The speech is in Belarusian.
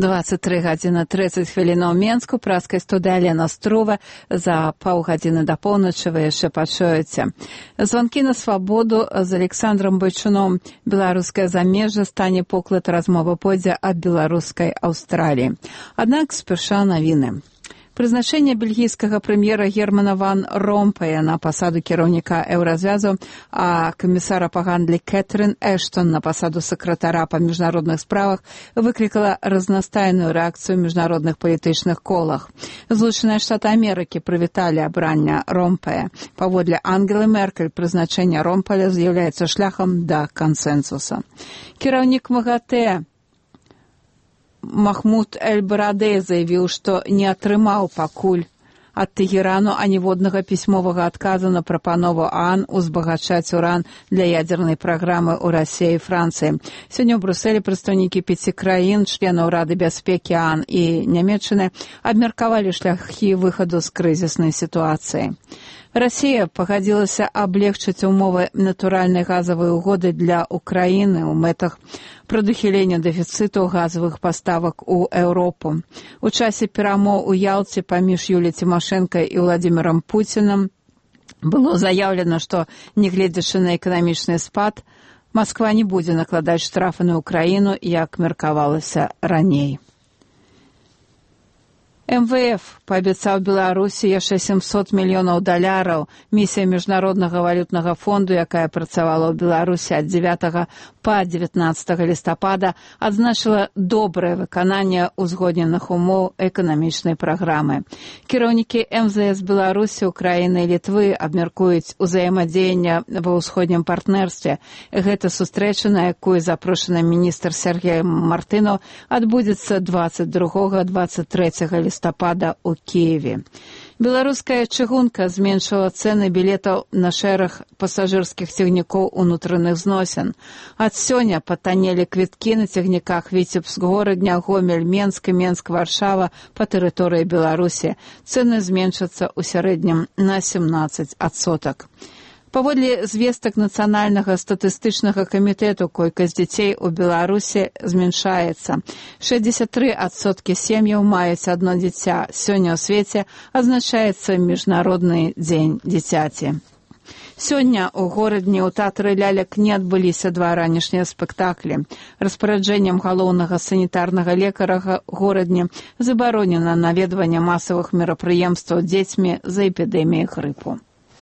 23 гадзіны 30 хвілінаў Менску, праскай студыя Алена Струва. За паўгадзіны да поўначы вы яшчэ пачуеце. Званкі на свабоду з Александром Байчуном. Беларускае замежжа стане поклад, размова пойдзе аб беларускай Аўстраліі. Аднак спярша навіны. Прызначэнне бельгійскага прэм'ера Германа ван Ромпая на пасаду кіраўніка еўразвязу, а камісара па гандлі Кэтрын Эштон на пасаду сакратара па міжнародных справах выклікала разнастайную рэакцыю ў міжнародных палітычных колах. Злучаныя Штаты Амерыкі прывіталі абрання Ромпая. Паводле Ангелы Меркель, прызначэнне Ромпая з'яўляецца шляхам да кансэнсуса. Кіраўнік МАГАТЭ Махмуд Эль-Барадэй заявіў, што не атрымаў пакуль ад Тэгерану аніводнага пісьмовага адказу на прапанову ААН узбагачаць уран для ядзернай праграмы ў Расіі і Францыі. Сёння ў Брюсселі прадстаўнікі 5 краін, членаў Рады бяспекі ААН і Нямецчыны абмеркавалі шляхі выхаду з крызіснай сітуацыі. Расія пагадзілася аблегчыць умовы натуральнай газавай угоды для Украіны ў мэтах прадухілення дэфіцыту газавых паставак у Еўропу. У часе перамоў у Ялце паміж Юліяй Цімашэнка і Владзімірам Пуцінам было заяўлена, што, нягледзячы на эканамічны спад, Масква не будзе накладаць штрафы на Украіну, як меркавалася раней. МВФ паабяцаў Беларусі яшчэ $700 мільёнаў. Місія Міжнароднага валютнага фонду, якая працавала ў Беларусі ад 9 па 19 лістапада, адзначыла добрае выкананне узгодненых умоў эканамічнай праграмы. Кіраўнікі МЗС Беларусі, Украіны і Літвы абмяркуюць узаемадзеянне ва ўсходнім партнерстве. Гэта сустрэча, на якую запрошаны міністр Сергей Мартынов, адбудзецца 22-23 лістапада ў Киеве. Беларуская чыгунка зменшыла цэны білетаў на шэраг пасажырскіх цягнікоў унутраных зносін. Ад сёння патаннелі квіткі на цягніках Віцебск-Горадня, Гомель, Менск і Менск-Варшава па тэрыторыі Беларусі. Цэны зменшацца ў сярэднім на 17%. Паводле звестак Нацыянальнага статыстычнага камітэту, колькасць дзяцей у Беларусі змяншаецца. 63% сем'яў маюць адно дзіця. Сёння ў свеце адзначаецца Міжнародны дзень дзіцяці. Сёння ў горадні ў тэатры лялек не адбыліся 2 ранішнія спектаклі. Распараджэннем галоўнага санітарнага лекара горадні забаронена наведванне масавых мерапрыемстваў дзецьмі за эпідэміяй грыпу.